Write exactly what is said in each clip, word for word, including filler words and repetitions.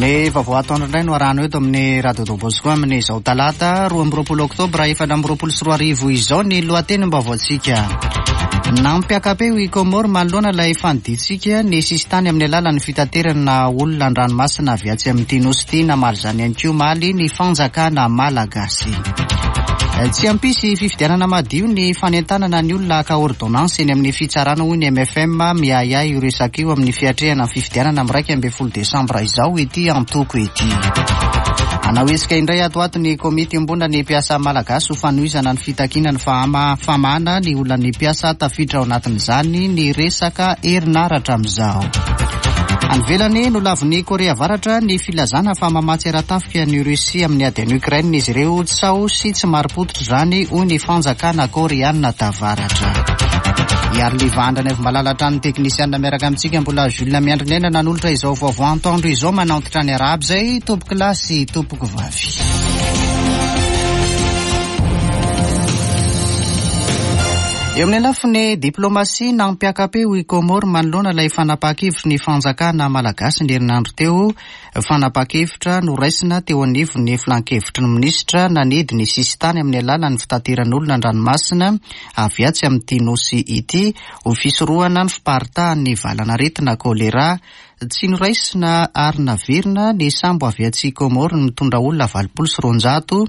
Ny vaovao atoandro indray no arahana eto amin'ny Radio Don Bosco amin'izao talata roa amby roapolo oktobra efatra amby roapolo sy roa arivo izao ny lohatenim-baovaontsika. Nampiaka-peo i Comores manoloana ilay fanidintsika ny sisintany amin'ny alalan'ny fitaterana olona an-dranomasina avy atsy amin'ity nosy ity. Namaly izany ihany koa omaly ny fanjakana malagasy. Tsy hampisy fifidianana madio ny fanentanana ny olona haka ordonnance eny amin'ny fitsarana, hoy ny M F M. Miahiahy io resaka io amin'ny fiatrehana ny fifidianana amin'ny raika ambin'ny folo desambra izao ity antoko ity. Hanao hetsika indray ato ato ny komity iombonana ny mpiasa malagasy ho fanohizana ny fitakiana ny fahama famahana ny olan'ny mpiasa, tafiditra ao anatin'izany ny resaka herinaratra amin'izao. Any ivelany, nolavin'ny Korea Avaratra ny filazana fa mamatsy ara-tafika ny Russie amin'ny ady any Ukraine izy ireo. Tsaho sy tsy marim-pototra izany, hoy ny fanjakana koreana tavaratra. Hiary livandra ny avy malala hatrany teknisianina miaraka amintsika mbola Jules Miandry ny aina nanolotra izao vaovao antoandro izao. Manaontitra ny araby izay tompoko lahy sy tompoko vavy. Eo amin'ny lafiny diplomasia, nampiaka-peo i Comores manoloana ilay fanapaha-kevitry ny fanjakana malagasy ny herinandro teo, fanapaha-kevitra noraisina teo anivon'ny filan-kevitry ny minisitra nanidy ny sisintany amin'ny alalan'ny fitateran'olona an-dranomasina avy atsy amin'ity nosy ity ho fisorohana ny fiparitahan'ny valan'aretina kolera. Tsy noraisina ary naverina ny sambo avy atsy Comores mitondra olona valopolo sy roanjato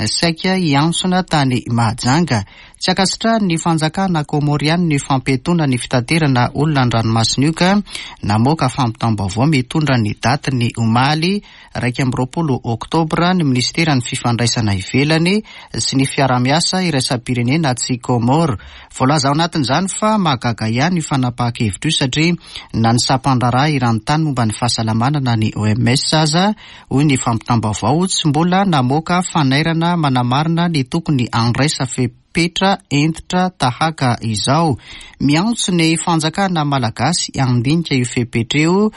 saika hiantsona tany Mahajanga. Tsy ankasitrahany ny fanjakana komoriany ny fampiatoana ny fitaterana olona an-dranomasina io, ka namoaka fampitam-baovao mitondra ny daty omaly raika amby roapolo oktobra ny ministeran'ny fifandraisana ivelany sy ny fiarahamiasa iraisam-pirenena atsy Comores. Voalaza ao anatin'izany fa mahagaga ihany io fanapaha-kevitra io, satria na ny sampan-draharaha eran-tany momba ny fahasalamana na ny O M S aza, hoy ny fampitam-baovao, tsy mbola namoaka fanairana manamarina ny tokony andraisa fepetra hentitra tahaka izao. Miantso ny fanjakana malagasy andinika io fepetra io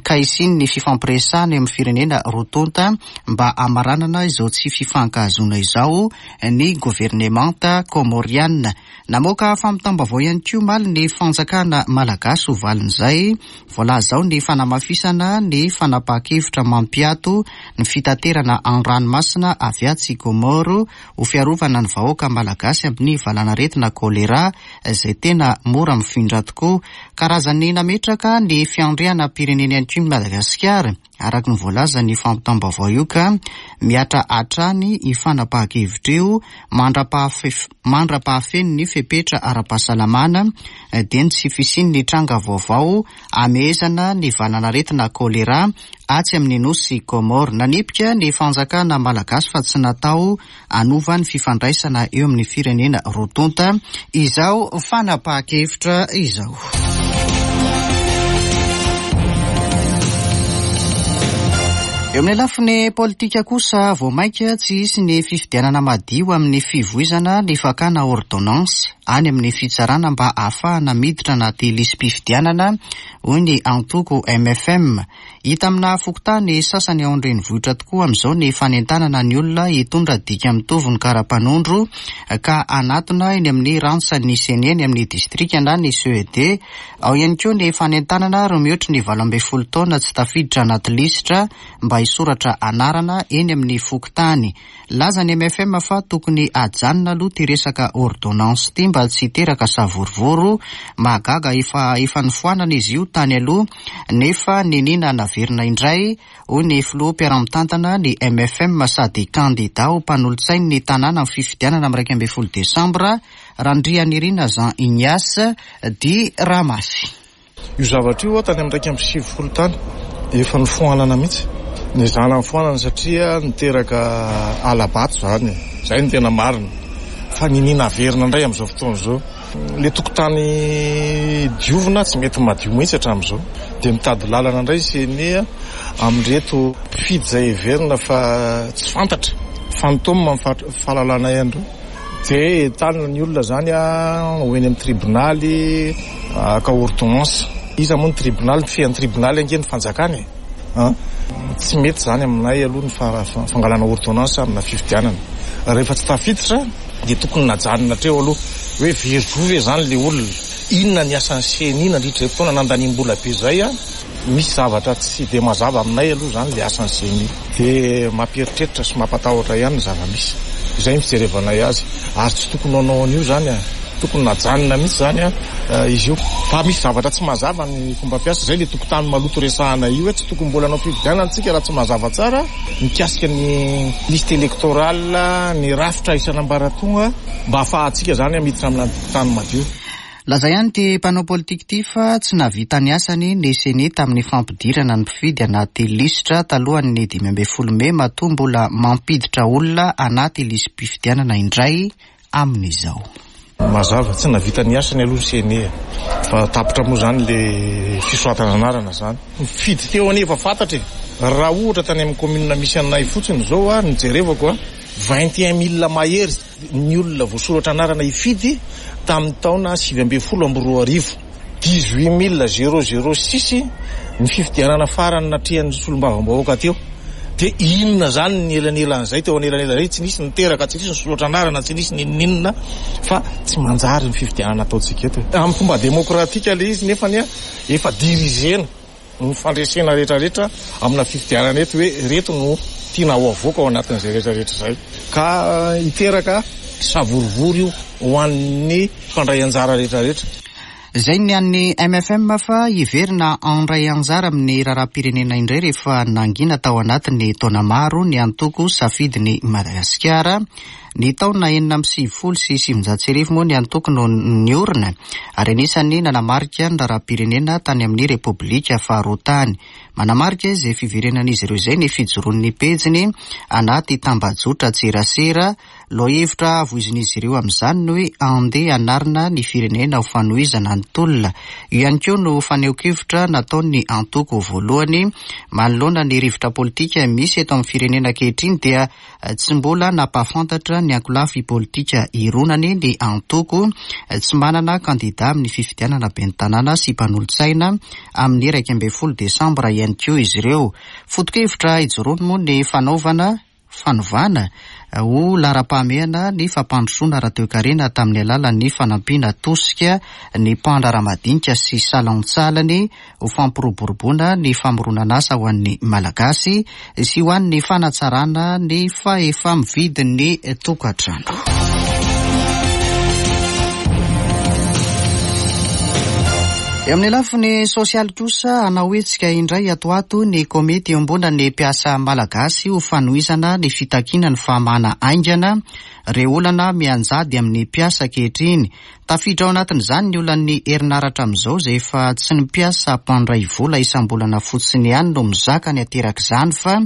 ka hisian'ny ny fifampiresahana eo amin'ny firenena roa tonta mba hamaranana izao tsy fifankahazoana izao ny governemanta komoriana. Namoaka fampitam-baovao ihany koa omaly ny fanjakana malagasy ho valin'izay. Voalaza ao ny fanamafisana ny fanapaha-kevitra mampiato ny fitaterana an-dranomasina avy atsy Comores ho fiarovana ny vahoaka malagasy amin'ny valanaretina kolera izay tena mora mifindra tokoa. Karazany nametraka ny fiandrianam-pirenena ihany koa ny Madagasikara, araka ny voalaza ny fampitam-baovao io, ka mihatra hatrany io fanapaha-kevitra io mandra-pahafeno ny fepetra ara-pahasalamana, dia ny tsy fisian'ny tranga vaovao amehezana ny valanaretina kolera atsy amin'ny nosy Comores. Nanipika ny fanjakana malagasy fa tsy natao hanova ny fifandraisana eo amin'ny firenena roa tonta izao fanapaha-kevitra izao. Eo amin'ny lafiny politika kosa, vao mainka tsy hisy ny fifidianana madio amin'ny fivoizana ny fakana ordonnance any amin'ny fitsarana mba ahafahana miditra anaty lisi-pifidianana, hoy ny antoko M F M. Hita amina fokontany sasany ao an-drenivohitra tokoa amin'izao ny fanentanana ny olona hitondra dika mitovy ny kara-panondro ka anatona eny amin'ny rantsan'ny CENI eny amin'ny distrika na ny C E D. Ao ihany koa ny fanentanana ro mihoatry ny valo ambin'ny folo taona tsy tafiditra anaty lisitra mba hisoratra anarana eny amin'ny fokontany. Laza ny M F M fa tokony ajanona aloha ty resaka ordonnance ty mba tsy hiteraka savorovoro. Mahagaga, efa efa nofoanana izy io tany aloha nefa niniana naverina indray, hoy ny filoha mpiara-mitantana ny M F M sady kandida ho mpanolotsainy ny tanàna amin'ny fifidianana amin'ny raika ambin'ny folo desambra, Randrianirina Jean Ignace di Ramasy. Io zavatra io tany amin'ny raika amby sivifolo tany efa nofoanana mihitsy ny zana nofoanana satria niteraka hala-bato zany. Zay ny tena marina, fa niniana averina indray amin'izao fotoana izao. Le tokotany diovina tsy mety madio mihitsy hatramin'izao, dia mitady lalana indray C E N I amin'reto mpifidy zay heverina fa tsy fantatra, fantôme fahalalana andreo, dia entanina ny olona zany a ho eny amin'ny tribonaly haka ordonnance. Iza moa ny tribonaly? Fean'ny tribonaly ange ny fanjakana e. Tsy mety zany aminay aloha ny fangalana ordonnance amina fifidianana. Rehefa tsy tafiditra dia tokony najanona treo aloha hoe very zo ve zany le olona? Inona ny asan'ny C E N I nandritra zay fotoana nandanim-bola be zay a? Misy zavatra tsy dia mazava aminay aloha izany ilay asan'ny CENI. Dia mampieritreritra sy mampatahotra ihany ny zava-misy. Izay ny fijerevanay azy. Ary tsy tokony hanao an'io izany a. Tokony najanona mihitsy izany a izy io. Fa misy zavatra tsy mazava ny fomba fiasa. Izay ilay tokotany maloto resahana io hoe tsy tokony mbola hanao fifidianana isika raha tsy mazava tsara mikasika ny liste électorale, ny rafitra isan'ambaratonga mba ahafahantsika izany miditra amina tokotany madio. Laza ihany ity mpanao politika ity fa tsy nahavita ny asany ny CENI tamin'ny fampidirana ny mpifidy anaty lisitra talohan'ny dimy ambin'ny folo mey matoa mbola mampiditra olona anaty lisi-pifidianana indray amin'izao. Mazava, tsy nahavita ny asany aloha ny CENI fa tapitra moa izany le fisoratana anarana izany. Mifidy teo anefa fantatra e. Raha ohatra tany amin'ny commune misy anay fotsiny izao a, nijerevako a, vingt et un mille mahery ny olona voasoratra anarana hifidy tamin'ny taona sivy ambin'ny folo amby roa arivo. dix-huit mille zéro zéro six ny fifidianana farany natrehan'ny solombavambahoaka teo. Dia inona izany ny elanelan'izay teo anelanelan'izay? Tsy nisy niteraka, tsy nisy nisoratra anarana, tsy nisy n'inon'inona fa tsy manjary ny fifidianana ataontsika eto. Amin'ny fomba demokratika ilay izy nefa ny efa dirigena ny fandresena rehetrarehetra amina fifidianana eto hoe reto no tiana ho avoaka ao anatin'izay rehetrarehetra izay. Ka hiteraka savorovoro io ho an'ny mpandray anjara rehetrarehetra. Izay ny an'ny M F M fa hiverina handray anjara amin'ny raharaham-pirenena indray rehefa nangina tao anatin'ny taona maro ny antoko Safidin'i Madagasikara. Ny taona enina amby sivifolo sy sivinjato sy arivo moa ny antoko no niorina ary anisan'ny nanamarika ny raharaham-pirenena tany amin'ny Repoblika faharoa tany. Manamarika izay fiverenan'izy ireo izay ny fijoroan'ny pejiny anaty tambajotra tserasera. Lohahevitra voizin'izy ireo amin'izany ny hoe andeha hanarina ny firenena ho fanohizana ny tolona. Io ihany koa no fanehoan-kevitra nataon'ny antoko voalohany manoloana ny rivotra politika misy eto amin'ny firenena ankehitriny dia tsy mbola nampahafantatra ny ankolafy politika ironany ny antoko. Tsy manana kandida amin'ny fifidianana ben'ny tanàna sy mpanolotsaina amin'ny iraika ambin'ny folo desambra ihany koa izy ireo. Foto-kevitra ijoroany moa ny fanaovana fanovana ho laharam-pahamehana ny fampandrosoana ara-toekarena tamin'ny alalan'ny fanampiana tosika ny mpandraharaha madinika sy salantsalany ho fampiroboroboana ny famoronana asa ho an'ny Malagasy sy ho an'ny fanatsarana ny fahefa-mividin'ny tokantrano. Eo amin'ny lafiny sosialy kosa, hanao hetsika indray ato ato ny komity iombonan'ny mpiasa malagasy ho fanohizana ny fitakiana ny fahamana haingana ireo olana mianjady amin'ny mpiasa ankehitriny. Tafiditra ao anatin'izany ny olan'ny herinaratra amin'izao izay efa tsy ny mpiasa mpandray vola isam-bolana fotsiny ihany no mizaka ny aterak'izany fa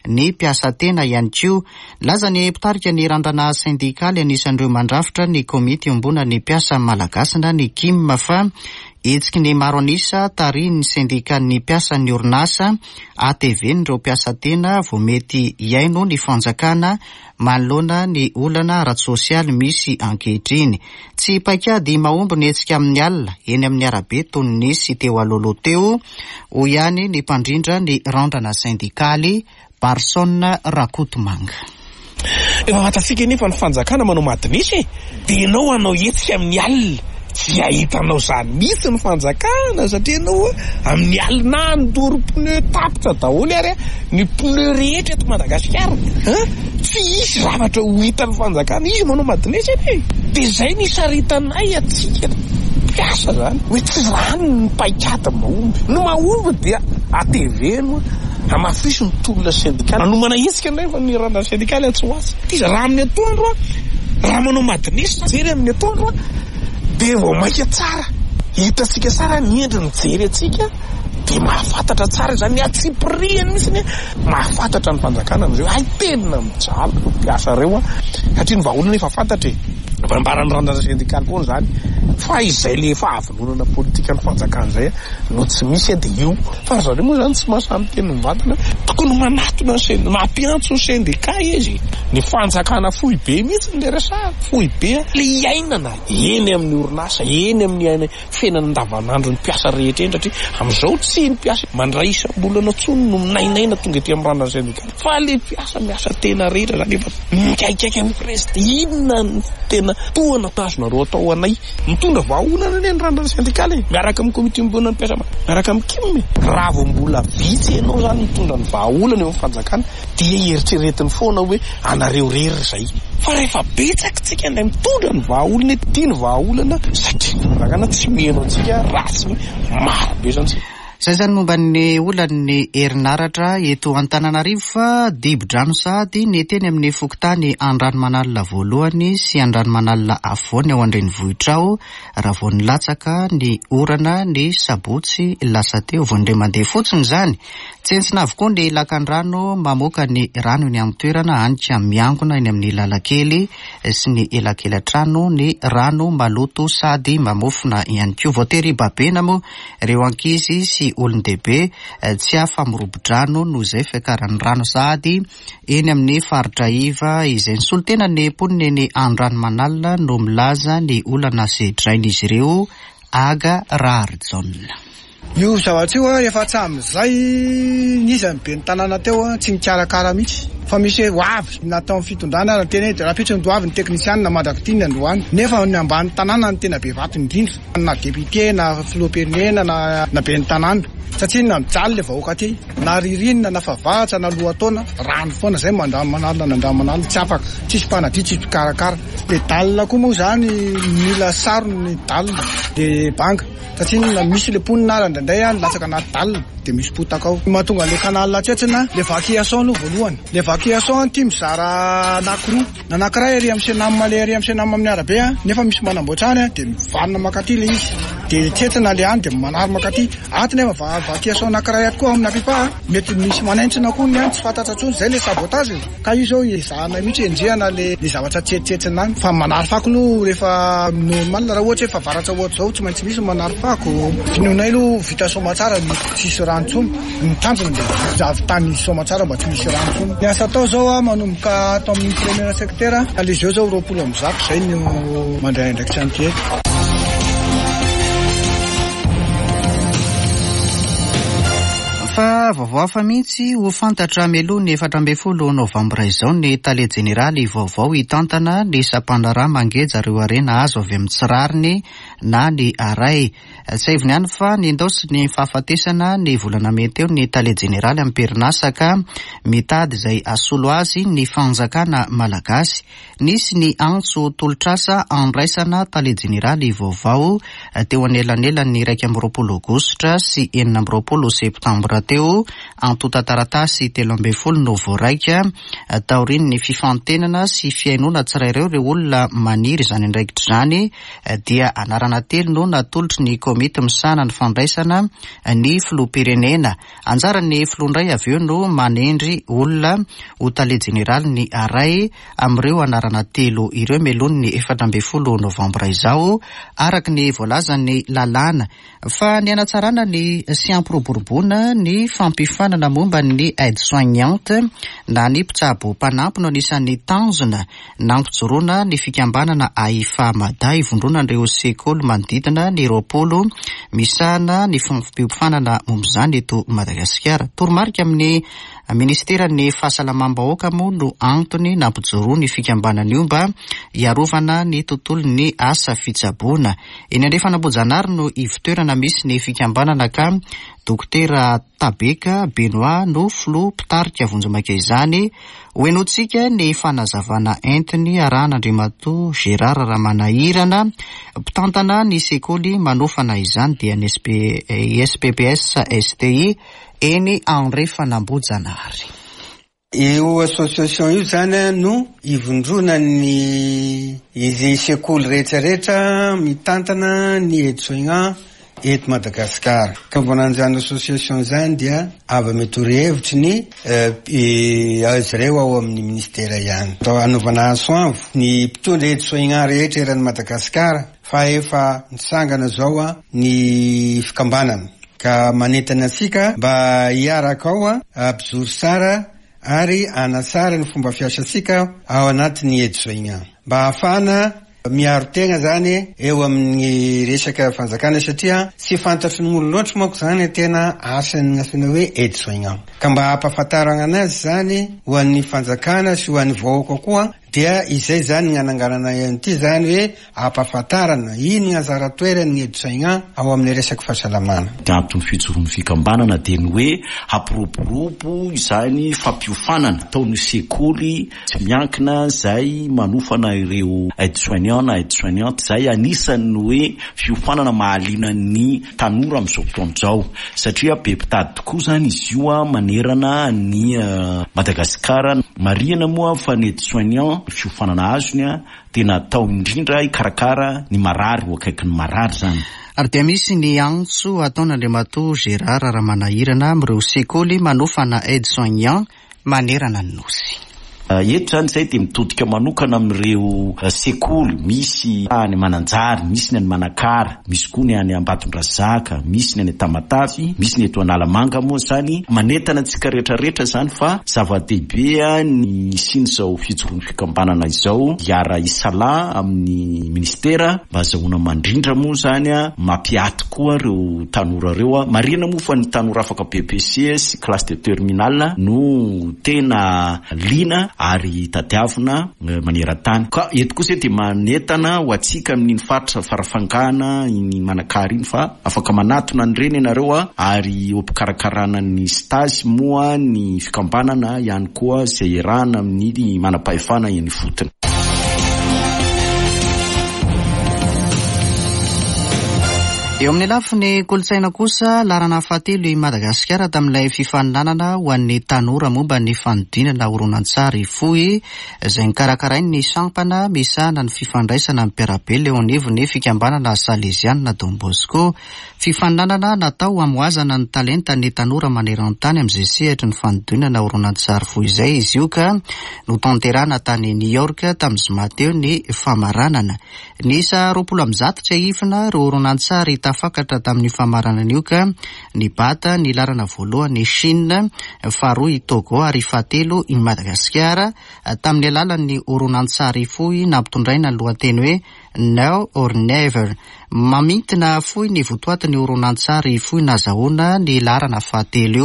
ny mpiasa tena ihany koa. Nilaza ny mpitarika ny randrana sendikaly anisan'ireo mandrafitra ny komity iombonan'ny mpiasa malagasy na ny K I M fa hetsiky ny maro an'isa tarihin'ny sendikan'ny mpiasan'ny orinasa A T V n'ireo mpiasa tena vao mety hihaino ny fanjakana manoloana ny olana ara-tsosialy misy ankehitriny. Tsy paikady mahomby ny hetsika amin'ny alina eny amin'ny arabe toy ny nisy teo alohaloha teo, hoy ihany ny mpandrindra ny randrana sendikaly Barson Rakotomanga. Efa fantatsika nefa ny fanjakana manao madinisy e, dia ianao hanao hetsika amin'ny alina. Tsy ahitanao izany mihitsy ny fanjakana satria ianao amin'ny alina handoro pneu tapitra daholo ary ny pneu rehetra eto Madagasikara. Tsy hisy zavatra ho hitan'ny fanjakana, izy manao madinisy anie. Dia izay ny isaritanay atsika mpiasa izany hoe tsy izany ny paikady mahomby. Ny mahomby dia A T V no hamafiso ny tolona sendikaly. Nanomana hetsika indray fa ny randrana sendikaly atsy ho atsy. Izy raha amin'ny atoandro, raha manao madinisy jery amin'ny atoandro dia vao maika tsara. Hitantsika tsara ny endriny mijery antsika dia mahafantatra tsara izany ny antsipiriany mihitsy ny mahafantatra ny fanjakana amin'izay hoe ay tena mijaly ireo mpiasa ireo a, satria ny vahaolana efa fantatra e. Ambaran'ny randrana sendikaly foana izany fa izay le fahavononana politika ny fanjakana izay no tsy misy dia io. Fa ry zareo moa izany tsy mahasahy miteny mivantana, tokony manatona ny sendika, mampiantso ny sendika izy. Ny fanjakana foibe mihitsy ny resahana, foibe le iainana eny amin'ny orinasa, eny amin'ny aina fiainana andavanandro ny mpiasa rehetra eny, satria amin'izao tsy ny mpiasa mandray isam-bolana intsony no minainaina tonga ety amin'ny randrana sendikaly fa le mpiasa miasa tena rehetra zany efa mikaikaika amin'ny président. Inona no tena tohana azonareo atao anay? Ny Mitondra vahaolana anie ny randrana sendikaly e, miaraka amin'ny komity iombonan'ny mpiasa, miaraka amin'ny K I M. Raha vao mbola vitsy ianao zany mitondra ny vahaolana eo amin'ny fanjakana, dia eritreretiny foana hoe anareo rery zay. Fa rehefa betsaka tsika indray mitondra ny vahaolana, tia ny vahaolana, satria ny fanjakana tsy miheno antsika raha tsy maro be zany tsika. Zay zany momba ny olan'ny herinaratra eto Antananarivo, fa dibo-drano sady ny teny amin'ny fokontany Andranomanalina voalohany sy Andranomanalina afovoany ao an-drenivohitra ao raha vao nilatsaka ny orana ny sabotsy lasa teo. Vao indray mandeha fotsiny izany, tsentsina avokoa ny lakan-drano mamoaka ny rano eny amin'ny toerana, anika miangona eny amin'ny lalakely sy ny elakela-trano ny rano maloto sady mamofona ihany koa. Voatery babena moa ireo ankizy sy olon-dehibe tsy afa mirobo-drano noho izay fiakaran'ny rano sady eny amin'ny faritra iva izay. Ny solontena ny mponina eny Andranomanalina no milaza ny olana sedrain'izy ireo. Aga Raharijaona. Io zavatra io a efa hatramin'izay niza ny ben'ny tanàna teo a tsy nikarakara mihitsy, fa misy hoe ho avy natao amin'ny fitondrana raha tena hoe rahampitso no avy ny teknisianina mandrak'ity ny androany, nefa ny ambany tanàna no tena be vato indrindra, na député na filoham-pirenena na na ben'ny tanàna, satria na mijaly le vahoaka aty, na ririnina na favaratra na lohataona, rano foana zay Andranomanalina na Andranomanalina, tsy afaka, tsisy mpanadio, tsisy mpikarakara. Le dalle koa moa zany mila sarony ny dalle de banga, satria na misy le mponina ara indraindray a latsaka anaty dalle de misy potaka ao mahatonga le canal tsentsina. Le évacuation aloha voalohany, le évacuation ty mizara anankiroa, na anankiray ary amin'ny Cenam, le ary amin'ny Cenam amin'ny arabe a nefa misy manamboatra any a de mivanina makaty le izy, de tsentsina le any, de manary makaty aty, nefa évacuation anankiray aty koa amin'ny Apipa mety misy manaintsina koa ny any, tsy fantatra intsony zay le sabotage. Ka io zao ezahana mihitsy enjehana le le zavatra tsetsentsina any. Fa manary fako aloha rehefa normal, raha ohatra hoe favaratra ohatra zao, tsy maintsy misy manary fako. Finoanay aloha vita somatsara, tsisy rano intsony. Ny tanjona de avy tany somatsara mba tsy misy rano intsony. Ny asa atao zao a manomboka ato amin'ny premier secteur le izy eo zao roapolo amby zato zay no mandray andraikitra an'ity eto. Fa vaovao hafa mihitsy, ho fantatra mialoha ny efatra ambin'ny folo novambra izao ny tale jeneraly vaovao hitantana ny sampandraharaha mangeja ireo harena azo avy amin'ny tsy rariny na ny ARAE. Tsiahivina ihany fa nindaosy ny fahafatesana ny volana mey teo ny tale jeneraly am-perinasa, ka mitady izay asolo azy ny fanjakana malagasy. Nisy ny antso tolotrasa andraisana tale jeneraly vaovao teo anelanelan'ny iraika amby roapolo aogositra sy enina amby roapolo septambra teo. Antontan-taratasy telo ambin'ny folo no voaraika taorian'ny fifantenana sy fihainoana tsirairay ireo olona maniry izany andraikitra izany, dia anarana telo no natolotry ny komity misahana ny fandraisana ny filoham-pirenena. Anjaran'ny filoha indray avy eo no manendry olona ho tale jeneraly ny ARAE amin'ireo anarana telo ireo mialoha ny efatra ambin'ny folo novambra izao, araka ny voalazan'ny lalàna. Fa ny anatsarana ny sy ampiroboroboana ny fampiofanana momba ny aide soignante na ny mpitsabo mpanampy no anisan'ny tanjona nampijoroana ny fikambanana AIFA Mada, ivondronan'ireo sekoly manodidina ny roapolo misahana ny fampiofanana momba izany eto Madagasikara. Toromarika amin'ny ministeran'ny fahasalamam-bahoaka moa no antony nampijoroa ny fikambanana io mba hiarovana ny tontolon'ny asa fitsaboana. Eny Andrefan'Ambohijanahary no ivotoerana misy ny fikambanana, ka dokotera Tabeka Benoit no filoha mpitarika vonjimaika izany. Hohenoantsika ny fanazavana entiny arahan'Andriamatoa Gérard Ramanahirana, mpitantana ny sekoly manofana izany, dia ny I S P P S S T I eny Andrefan'Ambohijanahary. Io association io zany no ivondronany izy sekoly rehetrarehetra mitantana ny aide-soignant eto Madagasikara. Ka voanan'izany association zany dia avy mitoro hevitry ny azy ireo ao amin'ny ministera ihany. Atao anaovana antso ny mpitondra aide-soignant rehetra eran'ny Madagasikara fa efa nitsangana zao a ny fikambanana, ka manentana antsika mba hiaraka ao a ampijoro tsara ary anatsara ny fomba fiasantsika ao anatin'ny aide-soignant mba ahafahana miaro tegna zany eo amin'ny resaka fanjakana, satria tsy fantatry ny olo loatra manko zany tena asan'ny asana hoe aide-soignant, ka mba hampahafantarana anazy zany ho an'ny fanjakana sy ho an'ny vahoaka koa. Dia izay zany ny ananganana an'ity zany hoe ampahafantarana ino ny anjara toeran'ny aide-soignant ao amin'ny resaky fahasalamana. Ny anton'ny fijoroan'ny fikambanana dia ny hoe hampiroborobo izany fampiofanana ataon'ny sekoly tsy miankina izay manofana ireo aide-soignant na aide-soignante, izay anisan'ny hoe fiofanana mahaliana ny tanora amin'izao fotoana izao, satria be mpitady tokoa izany izy io manerana ny Madagasikara. Marihana moa fa ny aide-soignant fiofanana azony a tena atao indrindra hikarakara ny marary, ho akaiky ny marary zany. Ary dia misy ny antso ataon'Andriamatoa Gérard Ramanahirana amin'ireo sekoly manofana aide-soignant manerana ny nosy. Eto zany izay dia mitodika manokana amin'ireo sekoly misy any Mananjary, misy ny any Manakara, misy koa ny any Ambatondrazaka, misy ny any Tamatavy, misy ny eto Analamanga moa zany. Manentana antsika rehetrarehetra zany fa zava-dehibe ny hisian'izao fijoroan'ny fikambanana izao, hiara-hisalahy amin'ny ministera mba azahoana mandrindra moa zany, mampiaty koa ireo tanora ireo. Marihana moa fa ny tanora afaka B P C sy classe de terminale no tena liana ary tadiavina maneran-tany. Ka eto kosa dia manentana ho antsika amin'iny faritra Farafangana, iny Manakara iny, fa afaka manatona an'ireny ianareo a, ary eo am-pikarakarana ny stage moa ny fikambanana ihany koa izay iarahana amin'ny manam-pahefana eny ifotony. Eo amin'ny lafiny kolontsaina kosa, laharana fahatelo i Madagasikara tamin'ilay fifaninanana ho an'ny tanora momba ny fanodinana horonantsary fohy izay nokarakarain'ny sampana misahana ny fifandraisana amin'ny mpiara-belona eo anivon'ny fikambanana Salesianina Don Bosco. Fifaninanana natao hamohazana ny talentan'ny tanora maneran-tany amin'izay sehatry ny fanodinana horonantsary fohy izay izy io, ka notanterahana tany New York tamin'ny zoma teo ny famaranana. Niisa roapolo amby zato tsy ahifina ireo horonantsary tafakatra tamin'ny famaranana io, ka nibata ny laharana voalohany Chine, faharoa i Togo ary fahatelo i Madagasikara tamin'ny alalan'ny horonantsary fohy nampitondraina ny lohateny hoe Now or Never. Mamintina fohy ny votoatin'ny horonantsary fohy nazahoana ny laharana fahatelo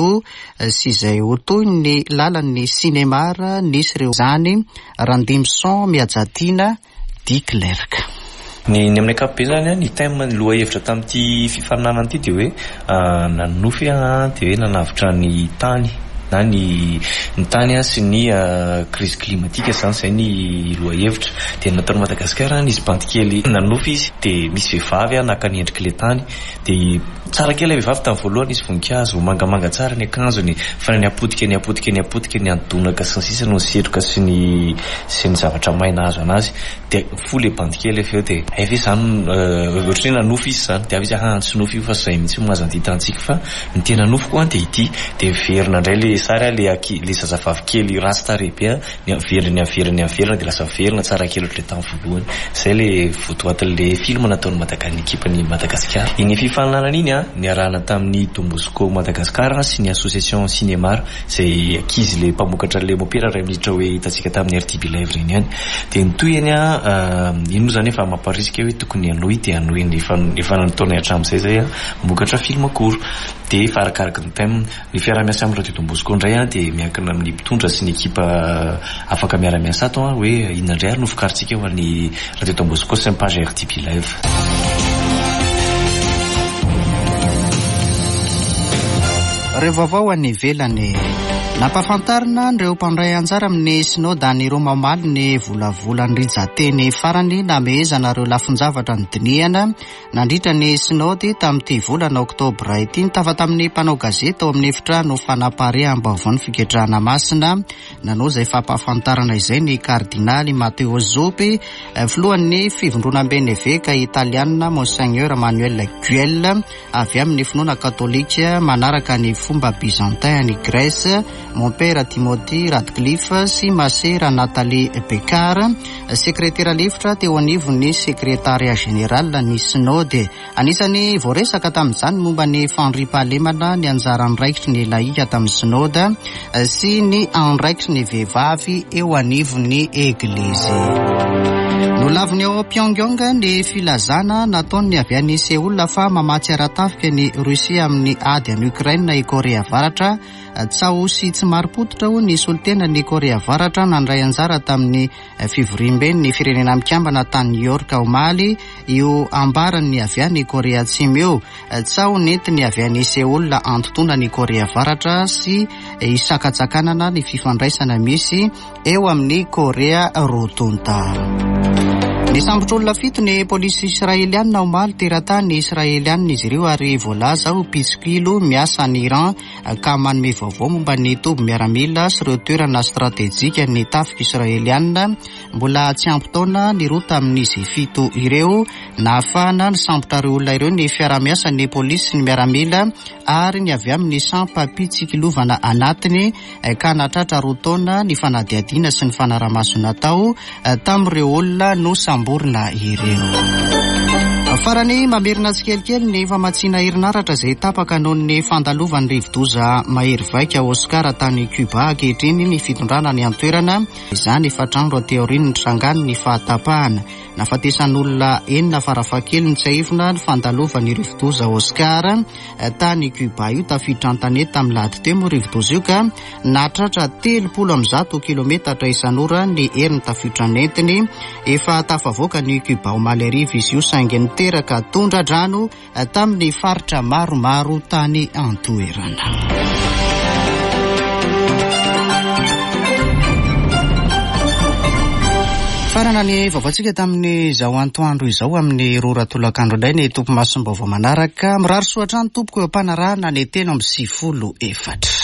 io sy izay ho toy ny lalan'ny cinéma nisy ireo zany Randimson Miajatiana Diclerc. Ny ny amin'ny ankapobeny zany, ny thème, ny lohahevitra tamin'ity fifaninanana ity dia hoe nanonofy dia hoe nanavotra ny tany na ny ny tany sy ny crise climatique zany, izay ny lohahevitra. Dia nataon'i Madagasikara nisy bandy kely nanonofy izy, dia misy vehivavy naka ny endrik'ilay tany, dia tsara kely ilay vehivavy tamin'ny voalohany, nisy voninkazo mangamanga tsara ny akanjony, fa ny apotika ny apotika ny apotika ny andonaka sy ny sisa no nisetroka sy ny sy ny zavatra maina azo anazy. Dia fo ilay bandy kely avy eo, dia hay ve zany ohatran'ny hoe nanofy izy zany, dia avy izy ah tsy nofy io fa izay mihitsy no azo anditantsika, fa ny tena nofiko an dia ity. Dia miverina indray ilay sary ilay anki-, ilay zazavavy kely ratsy tarehy be, ny averina, ny averina, ny averina, dia lasa miverina tsara kely ohatran'ilay tamin'ny voalohany. Izay ilay votoatin'ilay film nataon'ny Madaga-, ny ekipan'i Madagasikara. Iny fifaninanana iny an, niarahana tamin'ny Don Bosco Madagasikara sy ny Association Cinémar, izay ankizy ilay mpamokatra ilay mopera iray minitra hoe hitantsika tamin'ny R T B Live ireny ihany. Dia ny tohiny an, iny moa zany efa mamparisika hoe tokony hanohy, dia hanohy ny efa, efa nataonay hatramin'izay izay an, mamokatra film court. Dia efa arakaraky ny thème. Ny fiaraha-miasa amin'ny Radio Don Bosco indray an, dia miankina amin'ny mpitondra sy ny ekipa afaka miara-miasa ato an, hoe inona indray ary no vokarintsika ho an'ny Radio Don Bosco sy ny page R T B Live. Ireo vaovao any ivelany. Nampahafantarina ireo mpandray anjara amin'ny synoda any Roma omaly ny volavolan'ny rijan-teny farany namehezana ireo lafin-javatra nodinihana nandritra ny synody tamin'ity volana oktobra ity. Nitafa tamin'ny mpanao gazety ao amin'ny efitrano fanapareaham-baovaon'ny fiketrahana masina nanao izay fampahafantarana izay ny kardinaly Matteo Zuppi, filohan'ny fivondronamben'ny eveka italiana Monseigneur Manuel Guel avy amin'ny finoana katolika manaraka ny fomba byzantin any Grèce, Mompera Timothy Radcliffe sy Masera Nathalie Becquart, sekretera lefitra teo anivon'ny sekretaria général ny synode. Anisany voaresaka tamin'izany momba ny fandriampahalemana, ny anjara andraikitry ny laika tamin'ny synode sy ny andraikitry ny vehivavy eo anivon'ny eglizy. Nolaviny ao Pyongyang ny filazana nataony avy any Seoul fa mamatsy ara-tafika ny Russie amin'ny ady any Ukraine i Korea Avaratra. Tsaho sy tsy marim-pototra ho ny solontenan'ny Korea Avaratra nandray anjara tamin'ny fivoriamben'ny Firenena Mikambana tany New York omaly io ambaran'ny avy any Korea Atsimo io. Tsaho nentiny avy any Seoul antontona ny Korea Avaratra sy isakatsakanana ny fifandraisana misy eo amin'ny Korea roa tonta. Nisambotra olona fito ny polisy israelianina omaly. Teratany israelianina izy ireo ary voalaza ho mpitsikilo miasa any Iran ka manome vaovao momba ny toby miaramila sy ireo toerana stratejika ny tafika israelianina. Mbola tsy ampy taona ny roa tamin'izy fito ireo. Nahafahana nisambotra ireo olona ireo ny fiarahamiasa ny polisy sy ny miaramila ary ny avy amin'ny sampam-pitsikilovana anatiny ka nahatratra roa taona ny fanadihadiana sy ny fanarahamaso natao tamin'ireo olona no samborina ireo. Farany, mamerina tsikelikely ny famatsiana herinaratra izay tapaka noho ny fandalovan'ny rivodoza mahery vaika Oscar tany Cuba ankehitriny ny fitondrana ny antoerana. Izany efatra andro aty aorian'ny nitrangany ny fahatapahana. Nahafatesan'olona enina farafahakeliny tsiahivina ny fandalovan'ny rivodoza Oscar tany Cuba io. Tafiditra an-tanety tamin'ny lahady teo moa rivodoza io ka nahatratra telopolo amby zato kilometatra isan'ora ny herin'ny tafiotra nentiny. Efa tafavoaka ny Cuba omaly hariva izy io saingy niteraka tondra-drano tamin'ny faritra maromaro tany antoerana. Farana ny vaovaontsika tamin'izao antoandro izao. Amin'ny roa ora tolakandro indray ny tompo masom-baovao manaraka. Mirary soa hatrany tompoko eo am-panarahana ny telo amby sivifolo efatra.